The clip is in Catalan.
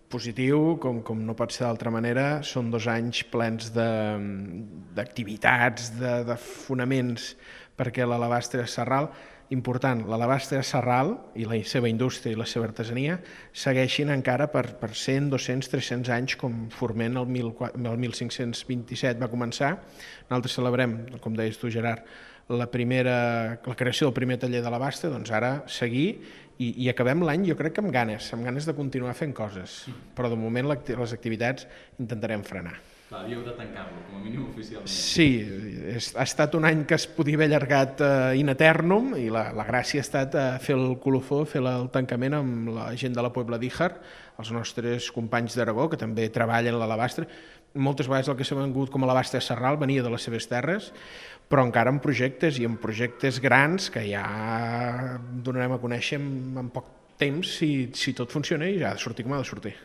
positiu, com no pot ser d'altra manera. Són 2 anys plens d'activitats, de fonaments perquè l'Alabastre Sarral, important, l'Alabastre Sarral i la seva indústria i la seva artesania segueixin encara per 100, 200, 300 anys, com Forment el 1527 va començar. Nosaltres celebrem, com deies tu, Gerard, la creació del primer taller d'Alabastre, doncs ara seguir i acabem l'any, jo crec que amb ganes de continuar fent coses, però de moment les activitats intentarem frenar. Clar, havíeu de tancar-lo, com a mínim oficialment. Sí, ha estat un any que es podia haver allargat in eternum i la gràcia ha estat fer el colofó, fer el tancament amb la gent de la Puebla d'Íjar, els nostres companys d'Aragó, que també treballen l'alabastre. Moltes vegades el que s'ha vengut com a Alabastre Sarral venia de les seves terres, però encara amb projectes i amb projectes grans que ja donarem a conèixer en poc temps si tot funciona i ja ha de sortir com ha de sortir.